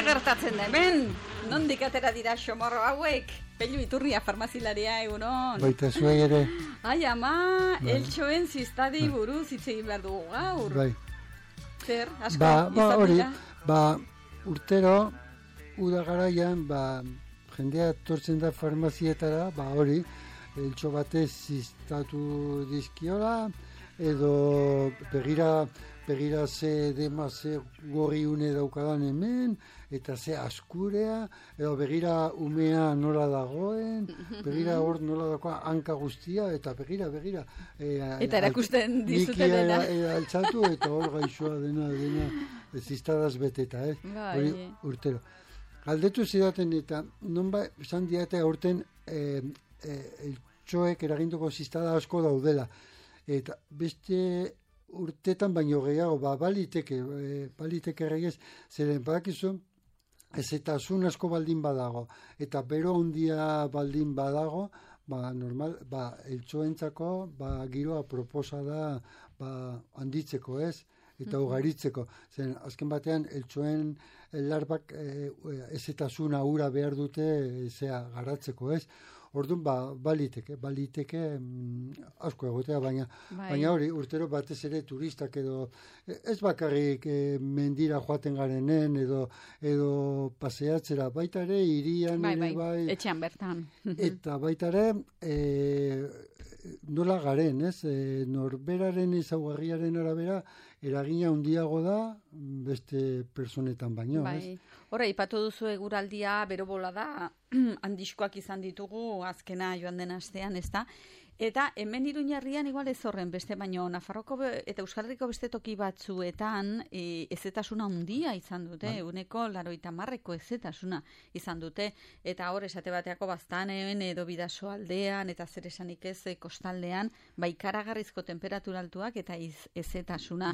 Zer gertatzen da hemen? Nondik atera dira xomorro hauek? Pellu Iturria farmazilaria, egunon. Baita zuei ere. Ai, ama, eltxoen ziztadei buruz hitz egin behar dugu gaur. Bai. Zer, asko izan hori, dira? Urtero, uda garaian, jendea tortzen da farmazietara, hori, eltxo batez ziztatu dizkiola, edo begira ze dema ze gorri une daukadan hemen, eta ze askurea, edo begira umea nola dagoen, begira hor nola dagoa hanka guztia, eta begira. Eta erakusten dizute dena. Altzatu, eta hor gaixoa dena ziztadaz beteta, hori urtero. Galdetu zidaten eta nonbait esan diate aurten eltxoek eraginduko ziztada asko daudela. Eta beste urtetan baino gehiago, baliteke regez, zeren badakizu, ezetasun asko baldin badago, eta bero handia baldin badago, normal, eltxoentzako, giroa proposa da, handitzeko ez, eta ugaritzeko. Zen, azken batean, eltxoen larbak ezetasuna ura behar dute garatzeko ez. Orduan, baliteke asko egotea, baina hori, urtero batez ere turistak edo, ez bakarrik mendira joaten garenen edo paseatzera, baita ere, irian bai. Etxean bertan. Eta baita ere, nola garen, ez? Norberaren ezaugarriaren arabera, eragina handiago da beste personetan baino, ez? Hora, ipatu duzu eguraldia, bero bola da, handiskoak izan ditugu azkena joan den astean, ez da? Eta hemen Iruñerrian igual ez horren beste, baino Nafarroko eta Euskal Herriko beste toki batzuetan ezetasuna handia izan dute, uneko 80% ezetasuna izan dute, eta hor esate bateako Baztanen edo Bidaso aldean, eta zer esanik ez kostaldean, ikaragarrizko temperatura altuak eta ezetasuna.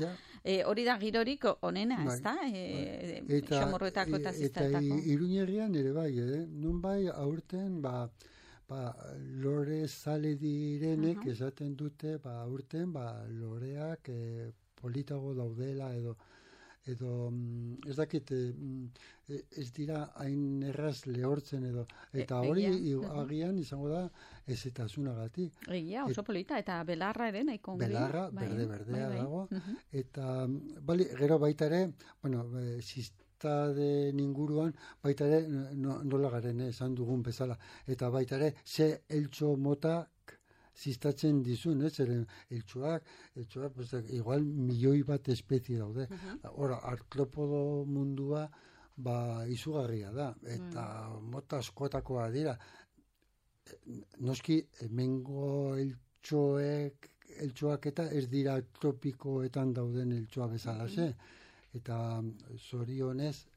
Hori da girorik onena, ez da? Xomorroetako eta ziztatako. Eta Iruñerrian ere bai, nun bai aurten, lore zale direnek esaten dute, aurten, loreak politago daudela edo ez dakit ez dira hain erraz lehortzen edo, eta hori agian izango da ezetasunagatik. Egia, oso polita, eta belarra ere nahiko ongi. Belarra, berdea dago, eta gero baita ere, ziztaden inguruan, baita ere nola garen esan dugun bezala, eta baita ere ze eltxo motak ziztatzen dizun, eltxoak, igual milioi bat espezie daude. Hora, artropodo mundua izugarria da, eta mota askotakoa dira. Noski, hemengo eltxoak eta ez dira tropikoetan dauden eltxoa bezala, eta zorionez,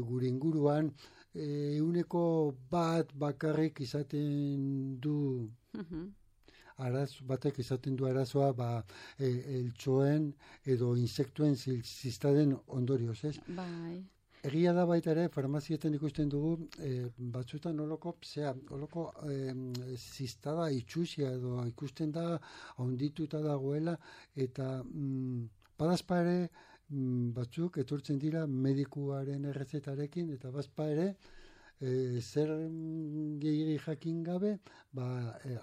gure inguruan, euneko bat bakarrik izaten du batek izaten du arazoa eltxoen edo insektuen ziztaden ondorioz, ez? Bai. Egia da baita ere, farmazietan ikusten dugu, batzuetan oloko ziztada itxusia edo ikusten da, ondituta dagoela, eta badazpa ere, batzuk etortzen dira medikuaren errezetarekin, eta bazpa ere, zer gehiagi jakin gabe,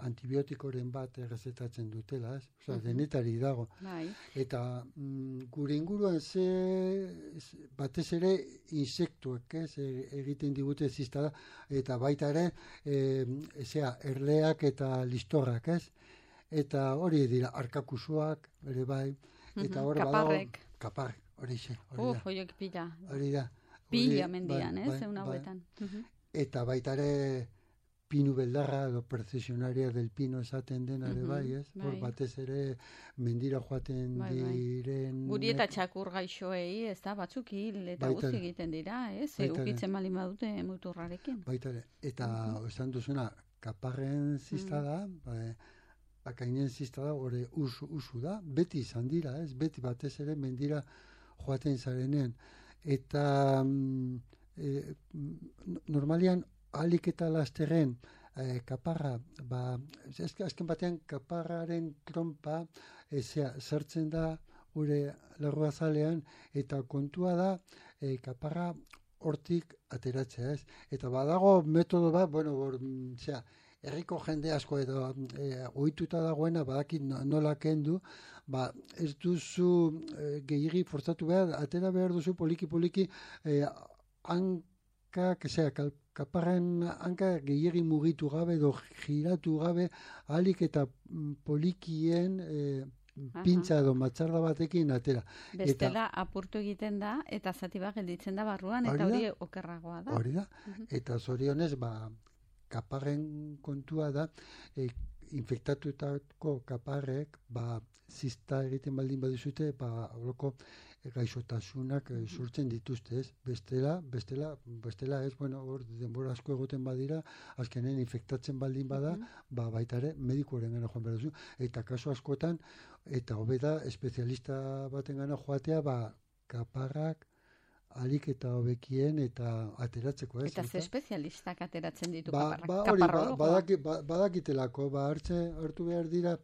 antibiotikoren bat errezetatzen dutela, ez? Osa, denetari dago. Eta gure inguruan batez ere insektuak, ez? Egiten digute ziztada, eta baita ere, erleak eta listorrak, ez? Eta hori dira, arkakusuak, ere bai, eta hor kaparrek, hori xe. Horiek pila. Hori da. Pila mendian, zeun hauetan. Eta baita ere pinu beldarra edo precesionaria del pino esaten dena ere bai, ez? Hor batez ere mendira joaten diren... Guri eta txakur gaixoei, ez da, batzuk hil eta guzti egiten dira, ez? Ukitzen bali badute muturrarekin. Baita ere. Eta esan duzuna, kaparren ziztada, bakainen ziztada hori usu da, beti izan dira, ez? Beti batez ere mendira joaten zarenean. Eta normalian ahalik eta lasterren kaparra, azken batean kaparraren trompa sartzen da gure larruazalean, eta kontua da kaparra hortik ateratzea, ez? Eta badago metodo bat, herriko jende asko edo ohituta dagoena badakit nola kendu, ez duzu gehiegi forzatu behar, atera behar duzu poliki hankak, kaparren hanka gehiegi mugitu gabe edo giratu gabe, ahalik eta polikien pintza edo matxarda batekin atera. Bestela apurtu egiten da, eta zati bat gelditzen da barruan, eta hori okerragoa da. Hori da, eta zorionez, kaparren kontua da, infektatutako kaparrek, zista egiten baldin badizute, holoko gaixotasunak surtzen dituzte, ez? Bestela ez, hor denbora asko egoten badira, azkenen infektatzen baldin bada, baita ere, medikuaren gana joan behar duzu. Eta kasu askotan, eta hobeda, espezialista baten gana joatea, kaparrak alik eta hobekien eta ateratzeko, ez? Eta ze espezialistak ateratzen ditu kaparrologoa? Badakitelako, hartu behar dira,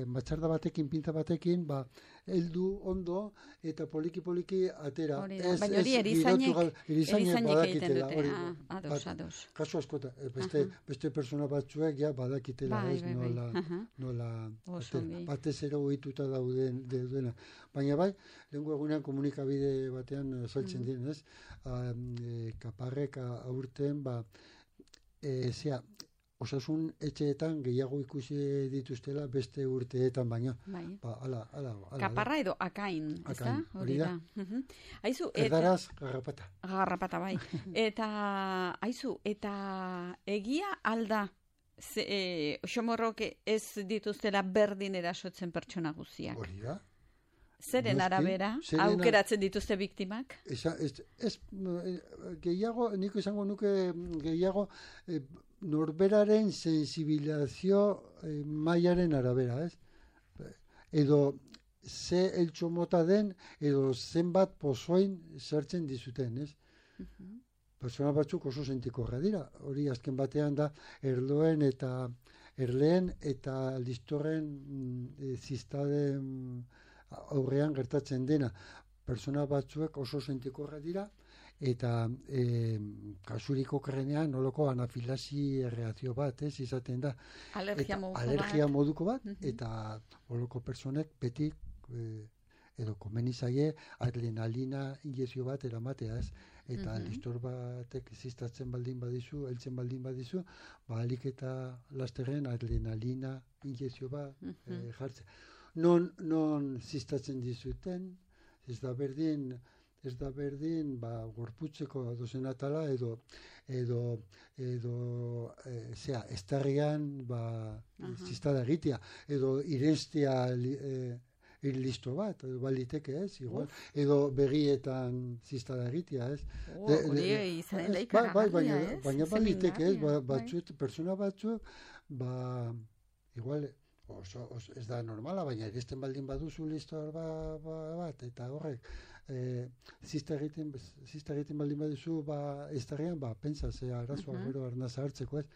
matxarda batekin, pinta batekin, heldu ondo eta poliki atera. Baina hori erizainek egiten dute. Ados. Kasu askota, beste persona batzuek badakitela, ez nola batez ere ohituta daudena. Baina lehenko egunean komunikabide batean saltzen diren, ez? Kaparrek aurten, osasun etxeetan gehiago ikusi dituztela beste urteetan baino. Kaparra edo akain, ez da? Hori da. Erdaraz, garrapata. Garrapata, bai. Eta egia alda, xomorrok ez dituztela berdin erasotzen pertsona guztiak. Hori da. Zeren arabera, aukeratzen dituzte biktimak? Gehiago, niko izango nuke gehiago, norberaren sensibilizazio mailaren arabera, ez? Edo ze eltxo mota den, edo zenbat pozoin sartzen dizuten, ez? Persona batzuk oso sentikorra dira. Hori azken batean da erleen eta listorren ziztaden aurrean gertatzen dena. Persona batzuek oso sentikorra dira, eta kasuriko krenean noloko anafilasi reakzio bat, izaten da. Alergia moduko bat, eta noloko personek beti edo komeni zaie adrenalina injezio bat eramatea, ez? Eta listor batek ziztatzen baldin badizu, heltzen baldin badizu, alik eta lasterren adrenalina injezio bat jartzen. Non ziztatzen dizuten, ez da berdin gorputzeko dozen atala edo estarrian ziztada egitea, edo irestea listo bat, baliteke ez, igual, edo begietan ziztada egitea, ez. Hori izan da ikaragarria, ez? Baina baliteke ez, persona batzuk, igual, ez da normala, baina eresten baldin baduzu listor bat, eta horrek, zista egiten baldin baduzu estarrian, pentsa, arazoa gero arnaza hartzeko, ez.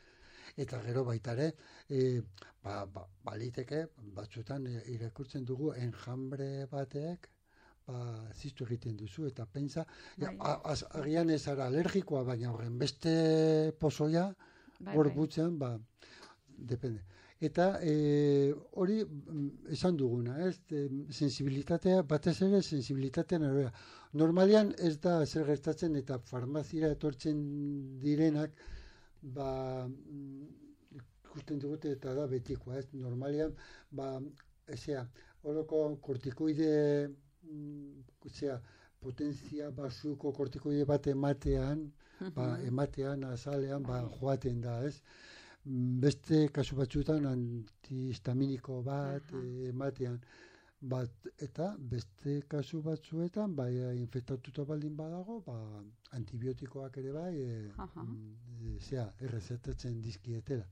Eta gero baitare, baliteke, batzutan irakurtzen dugu enjambre batek, ziztu egiten duzu, eta pentsa, agian ez ara alergikoa, baina horren beste pozoia, gorputzean, depende. Eta hori esan duguna, ez? Sensibilitatea, batez ere sensibilitatean arabera. Normalian ez da zer gertatzen eta farmazira etortzen direnak, ikusten digute eta da betikoa, ez? Normalian, horoko kortikoide, potentzia basuko kortikoide bat ematean, azalean, joaten da, ez? Beste kasu batzuetan antihistaminiko bat ematean, eta beste kasu batzuetan infektatuta baldin badago, antibiotikoak ere errezetatzen dizkietela.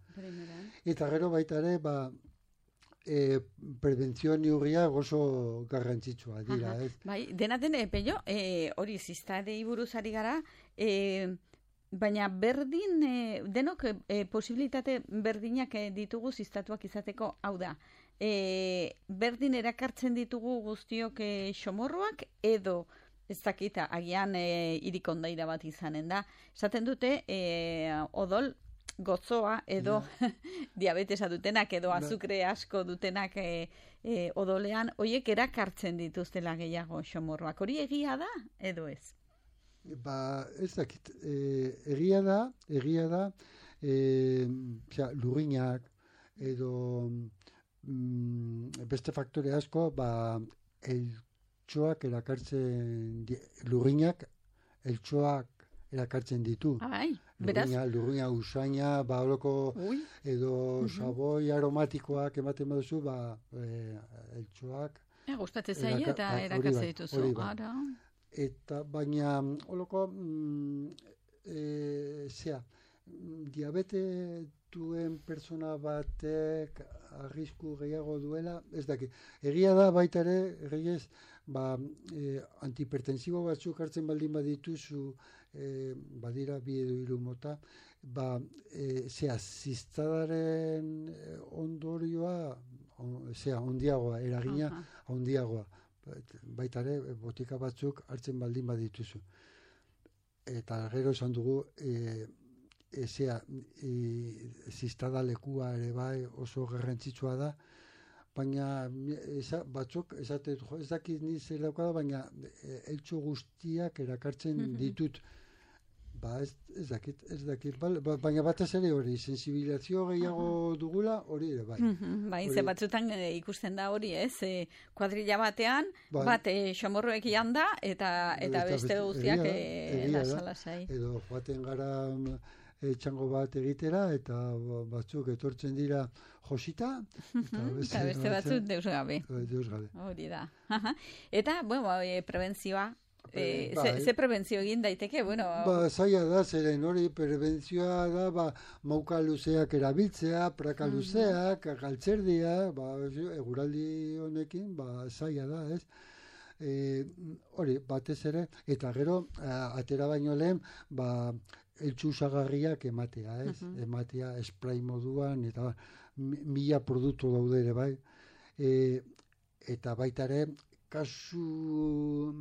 Eta gero baita ere, prebentzio neurriak oso garrantzitsua dira, ez? Bai, dena den, Pello, hori ziztadei buruz ari gara, baina denok posibilitate berdinak ditugu ziztatuak izateko, hau da, berdin erakartzen ditugu guztiok xomorroak edo ez dakita, agian irikondaira bat izanen da. Esaten dute, odol gozoa edo diabetesa dutenak edo azukre asko dutenak odolean, horiek erakartzen dituztela gehiago xomorroak. Hori egia da edo ez? Ez dakit, egia da, lurrinak edo beste faktore asko, eltxoak erakartzen, lurrinak eltxoak erakartzen ditu. Lurrina usaina, horoko edo saboi aromatikoak ematen baduzu, eltxoak. Gustatzen zaie eta erakartzen dituzu. Eta baina, holoko, diabete duen persona batek arrisku gehiago duela, ez dakit. Egia da baita ere, antihipertensibo batzuk hartzen baldin badituzu, badira bi edo hiru mota, ziztadaren ondorioa, ondiagoa, eragina ondiagoa. Baita ere, botika batzuk hartzen baldin badituzu. Eta gero esan dugu, ziztada lekua ere bai oso garrantzitsua da, baina batzuk ez dakit ni zer daukada, baina eltxo guztiak erakartzen ditut. Ez dakit, baina batez ere hori, sensibilizazio gehiago dugula, hori ere bai. Ze batzutan ikusten da hori, ez? Kuadrilla batean, bat xomorroek da, eta beste guztiak lasai. Edo joaten gara txango bat egitera, eta batzuk etortzen dira josita, eta beste batzuk deus gabe. Hori da. Eta, prebentzioa, ze prebentzio egin daiteke? Zaila da, zeren hori prebentzioa da, mauka luzeak erabiltzea, praka luzeak, galtzerdia, eguraldi honekin, zaila da, ez? Hori, batez ere, eta gero, atera baino lehen, eltsu usagarriak ematea, ez? Ematea spray moduan, eta 1000 produktu daude ere, bai? Eta baita ere, kasu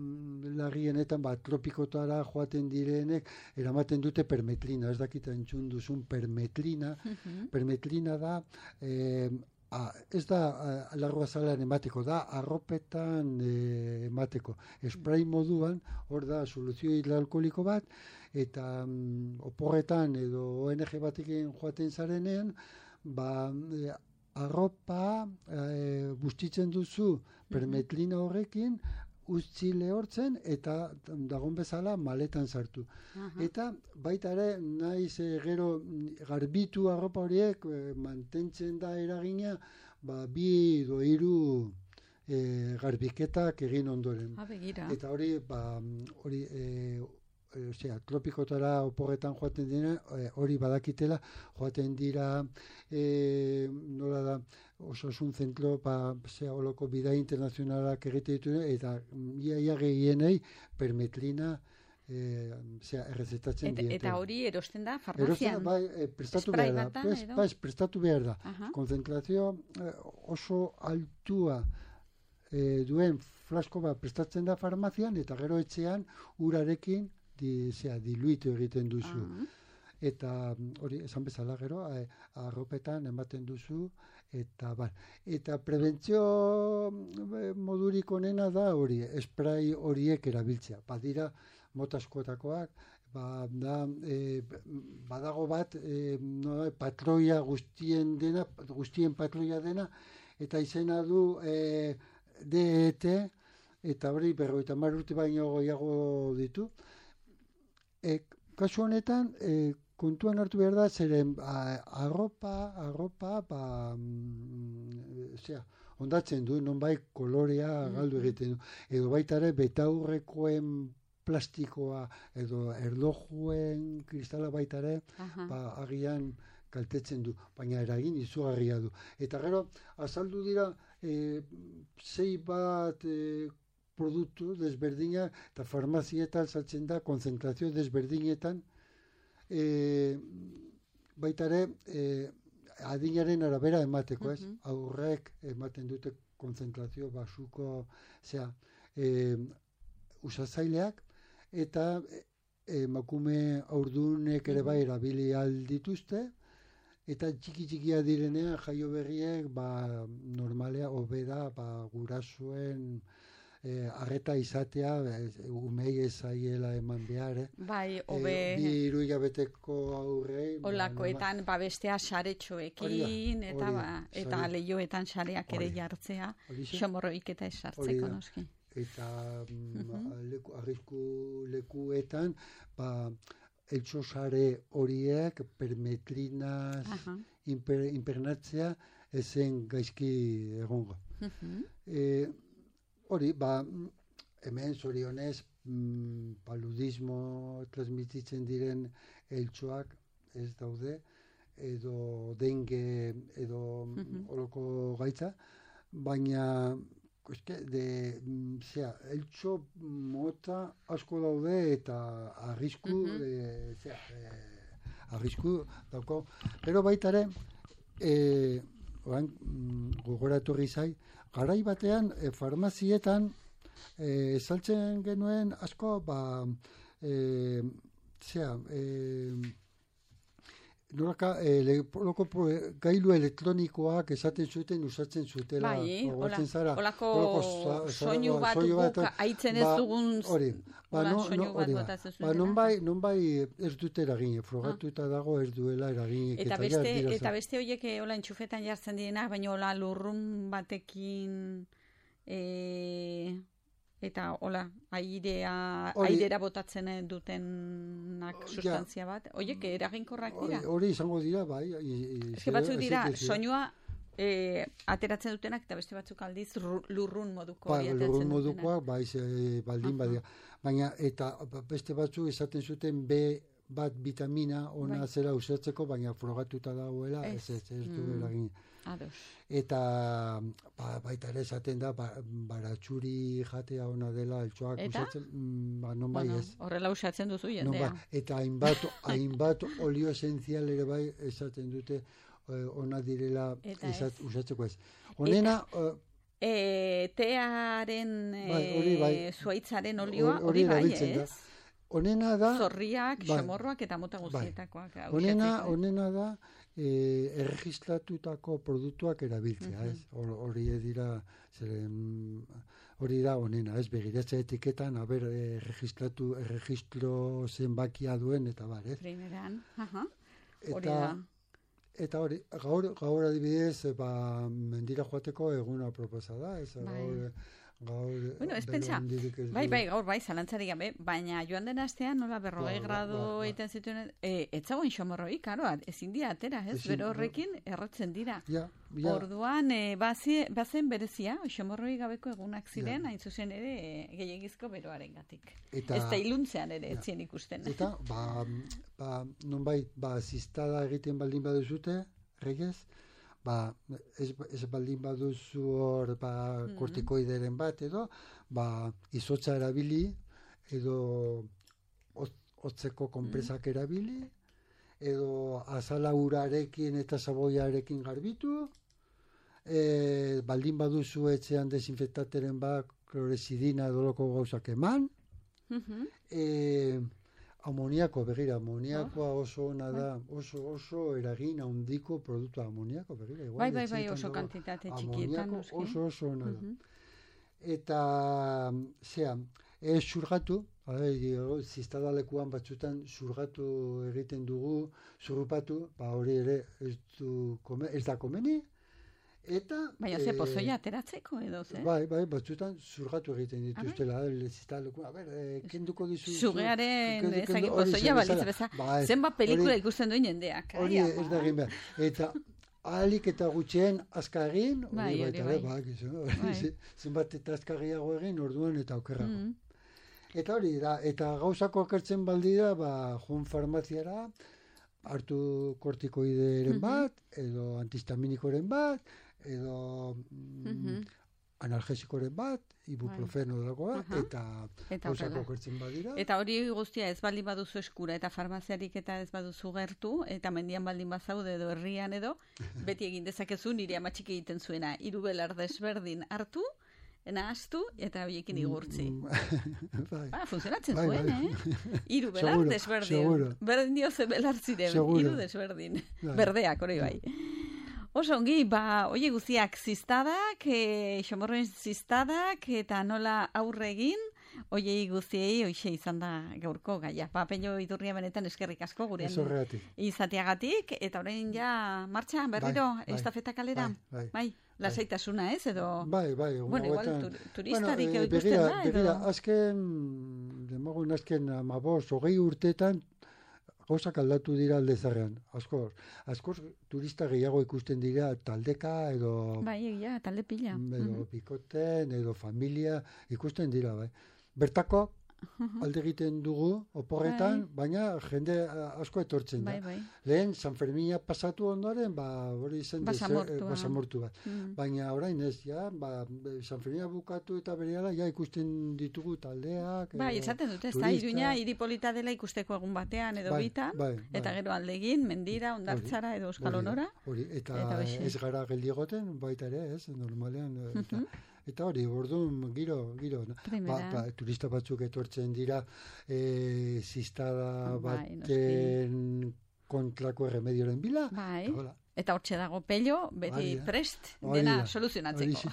larrienetan, tropikotara joaten direnek, eramaten dute permetlina, ez dakita entzun duzun permetlina. Permetlina da, ez da larruazalan emateko, da arropetan emateko. Spray moduan, hor da soluzio hidroalkoholiko bat, eta oporretan edo ONG batekin joaten zarenean, arropa bustitzen duzu permetlina horrekin, utzi lehortzen eta dagon bezala maletan sartu. Eta baita ere, naiz gero garbitu arropa horiek mantentzen da eragina, 2 edo 3 garbiketak egin ondoren. Eta hori, tropikotara oporretan joaten dira, hori badakitela, joaten dira, nola da, osasun zentro, holoko bidai internazionalak egite ditu, eta ia gehienei permetlina errezetatzen diete. Eta hori erosten da farmazian? Prestatu behar da. Prestatu behar da. Konzentrazio oso altua duen flasko bat prestatzen da farmazian, eta gero etxean urarekin diluitu egiten duzu. Eta hori, esan bezala gero, arropetan ematen duzu, eta prebentzio modurik onena da hori, spray horiek erabiltzea. Badira mota askotakoak, badago bat, patroia guztien patroia dena, eta izena du DET, eta hori 50 urte baino gehiago ditu. Kasu honetan, kontuan hartu behar da, zeren arropa, ondatzen du, nonbait kolorea galdu egiten du. Edo baita ere, betaurrekoen plastikoa, edo erlojuen kristala baita ere, agian kaltetzen du, baina eragin izugarria du. Eta gero, azaldu dira, 6 bat produktu desberdinak, eta farmazietan saltzen da, konzentrazio desberdinetan, baita ere, adinaren arabera emateko, ez? Aurrek ematen dute konzentrazio basuko, usatzaileak, eta emakume haurdunek ere bai erabili aldituzte, eta txiki-txikia direnean jaio berriek, normalea, hobeda, gurasoen arreta izatea, umei ezaiela eman behar, Bai, hobe... Bi hilabeteko aurrei... Olakoetan, bestea saretxoekin, eta lehioetan sareak ere jartzea, xomorroik eta esartzeko, noski. Eta arrisku lekuetan, eltsosare horiek permetrinaz impernatzea ezen gaizki egongo. Hori, hemen zorionez paludismo transmititzen diren eltsoak ez daude, edo dengue, edo oloko gaitza, baina eltso mota asko daude eta arrisku dauko. Pero baita ere, gogoratu zai, garai batean farmazietan saltzen genuen asko gailu elektronikoak esaten zuten usatzen zutela. Bai, olako soinu bat guk aitzen ez dugun soinu bat botatzen zuten. Non bai ez dute eragin, frogatuta dago ez duela eragin. Eta beste horiek hola entxufetan jartzen direnak, baina hola lurrun batekin... eta hola, aidera botatzen dutenak sustantzia bat. Oiek, eraginkorrak dira? Hori izango dira, bai. Eske batzuk dira, soinua ateratzen dutenak, eta beste batzuk aldiz lurrun moduko hori ateratzen dutenak. Lurrun modukoak, baldin badia. Baina, eta beste batzuk esaten zuten bat vitamina ona zera usatzeko, baina frogatuta dagoela, ez du eragin. Eta baita ere esaten da baratxuri jatea ona dela eltsoak usatzen, non bai ez. Horrela usatzen duzu jendea. Eta hainbat olio esenzial ere bai esaten dute ona direla usatzeko ez. Honena... tearen zuaitzaren olioa hori bai ez? Honena da... Zorriak, xamorroak eta mota guztietakoak. Honena da erregistratutako produktuak erabiltzea, ez? Hori dira, hori da honena, ez? Begiratza etiketan, erregistro zenbakia duen, eta bar, ez? Primeran, hori da. Eta hori, gaur adibidez, mendira joateko eguna proposa da, ez? Bueno, ez pentsa, gaur zalantzari gabe, baina joan den astean, nola 40 gradu egiten zituen, etzagoen xomorroik, karo, ezin dira atera, ez? Bero horrekin errotzen dira. Orduan, bazen berezia, xomorroi gabeko egunak ziren, hain zuzen ere, gehiagizko beroaren gatik. Ez da iluntzean ere, etzien ikusten. Eta, nonbait, zistada egiten baldin baduzute, regez, ez baldin baduzu hor kortikoideren bat edo, izotza erabili edo hotzeko konpresak erabili edo azala urarekin eta saboiarekin garbitu, baldin baduzu etxean desinfektateren bat kloresidina doloko gauzak eman, amoniako, begira, amoniakoa oso ona da, oso eragin handiko produktua amoniako, begira. Bai, oso kantitate txikietan. Amoniako oso ona da. Eta, zurgatu, ziztadalekuan batzutan zurgatu egiten dugu, zurrupatu, hori ere ez da komeni, eta... Baina pozoia ateratzeko edo, ze? Bai, batzutan zurgatu egiten dituztela, kenduko dizu... Zugearen pozoia balitz beza, zenbat pelikula ikusten duen jendeak. Hori ez da egin behar. Eta ahalik eta gutxien azkagin, zenbat eta azkagiago egin, orduan eta okerrago. Eta hori da, eta gauzako akertzen baldira, joan farmaziara, hartu kortikoideren bat, edo antihistaminikoren bat, edo analgesikoren bat, ibuprofeno dagoa, eta gauzak okertzen badira. Eta hori guztia ez baldin baduzu eskura, eta farmaziarik eta ez baduzu gertu, eta mendian baldin bazaude edo herrian edo, beti egin dezakezu nire amatxik egiten zuena, 3 belar desberdin hartu, nahaztu, eta horiekin igurtzi. Funtzionatzen zuen, 3 belar desberdin. Berdin dio ze belar ziren, 3 desberdin. Berdeak, hori bai. Oso ongi, oie guziak ziztadak, xomorroen ziztadak, eta nola aurre egin, oiei guziei, hoxe izan da gaurko gaia. Pello Iturria benetan eskerrik asko gurean izateagatik, eta orain ja martxan berriro, estafeta kalera. Bai, lasaitasuna ez, edo... Bai. Bueno, igual turistarik ikusten da, edo... Begira, azken 20 urteetan, gauzak aldatu dira aldezarrean, askoz turista gehiago ikusten dira taldeka edo... Bai, egia, talde pila. Edo bikoten, edo familia, ikusten dira, bai. Bertako alde egiten dugu, oporretan, baina jende asko etortzen da. Lehen, San Fermina pasatu ondoren, hori izan basamortu bat. Baina orain ez, San Fermina bukatu eta berehala, ikusten ditugu taldeak. Bai, esaten dute, ez da, Iruña hiripolita dela ikusteko egun batean edo bitan, eta gero aldegin, Mendira, Hondartzara edo Euskal Honora. Eta ez gara geldigoten, baita ere, ez, normalean, eta hori, orduan, giro, turista batzuk etortzen dira, ziztada baten kontrako erremedioren bila. Eta hortxe dago Pello, beti prest, dena soluzionatzeko.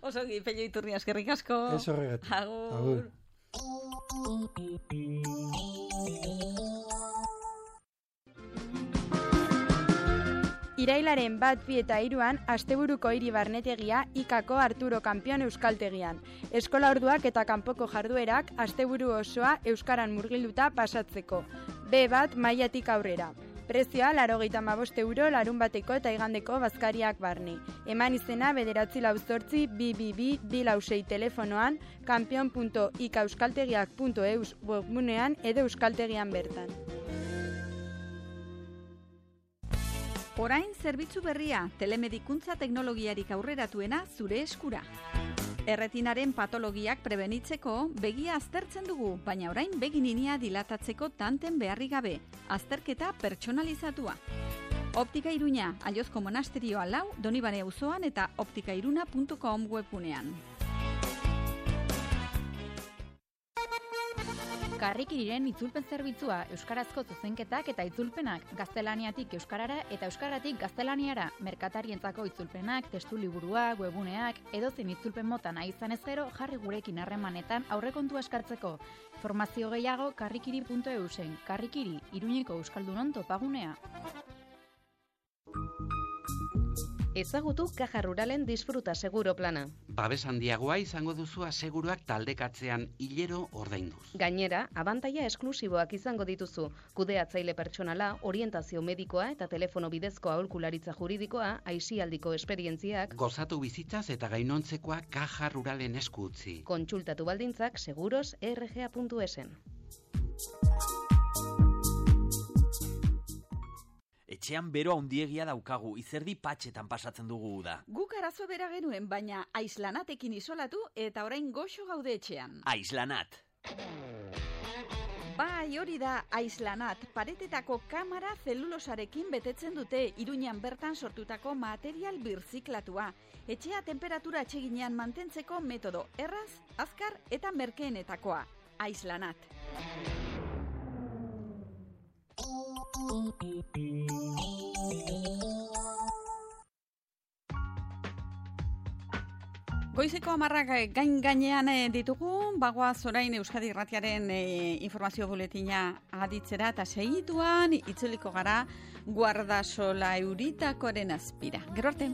Oso, Pello Iturria eskerrik asko. Ez horregatik. Agur. Irailaren 1, 2 eta 3 asteburuko hiri barnetegia ikako Arturo Kanpion euskaltegian. Eskola orduak eta kanpoko jarduerak asteburu osoa euskaran murgilduta pasatzeko. B1 mailatik aurrera. Prezioa 95 euro larunbateko eta igandeko bazkariak barne. Eman izena 988-222-246 telefonoan, kanpion.ikaeuskaltegiak.eus webgunean edo euskaltegian bertan. Orain zerbitzu berria, telemedikuntza teknologiarik aurreratuena zure eskura. Erretinaren patologiak prebenitzeko begia aztertzen dugu, baina orain begininia dilatatzeko tanten beharri gabe, azterketa pertsonalizatua. Optika Iruña, Aiozko monasterioa 4, Donibane auzoan eta optikairuna.com webgunean. Karrikiriren itzulpen zerbitzua, euskarazko zuzenketak eta itzulpenak, gaztelaniatik euskarara eta euskaratik gaztelaniara, merkatarientzako itzulpenak, testu liburuak, webuneak, edozein itzulpen mota nahi izan ez gero, jarri gurekin harremanetan aurrekontua eskartzeko. Informazio gehiago karrikiri.eusen, Karrikiri, Iruñeko euskaldunon topagunea. Ezagutu Caja Ruralen Disfruta Seguro plana. Babes handiagoa izango duzu aseguruak taldekatzean hilero ordainduz. Gainera, abantaila esklusiboak izango dituzu. Kudeatzaile pertsonala, orientazio medikoa eta telefono bidezko aholkularitza juridikoa, aisialdiko esperientziak. Gozatu bizitzaz eta gainontzekoa Caja Ruralen esku utzi. Kontsultatu baldintzak seguros.rga.esen. Etxean bero handiegia daukagu, izerdi patxetan pasatzen dugu da. Guk arazo bera genuen, baina aislanatekin isolatu eta orain goxo gaude etxean. Aislanat. Bai, hori da aislanat. Paretetako kamara zelulosarekin betetzen dute, Iruñan bertan sortutako material birziklatua. Etxea temperatura atseginean mantentzeko metodo erraz, azkar eta merkeenetakoa. Aislanat. Goizeko 10 gainean ditugu, bagoaz orain Euskadi Irratiaren informazio buletina aditzera eta segituan itzuliko gara Guardasola Euritakoren azpira. Gero arte.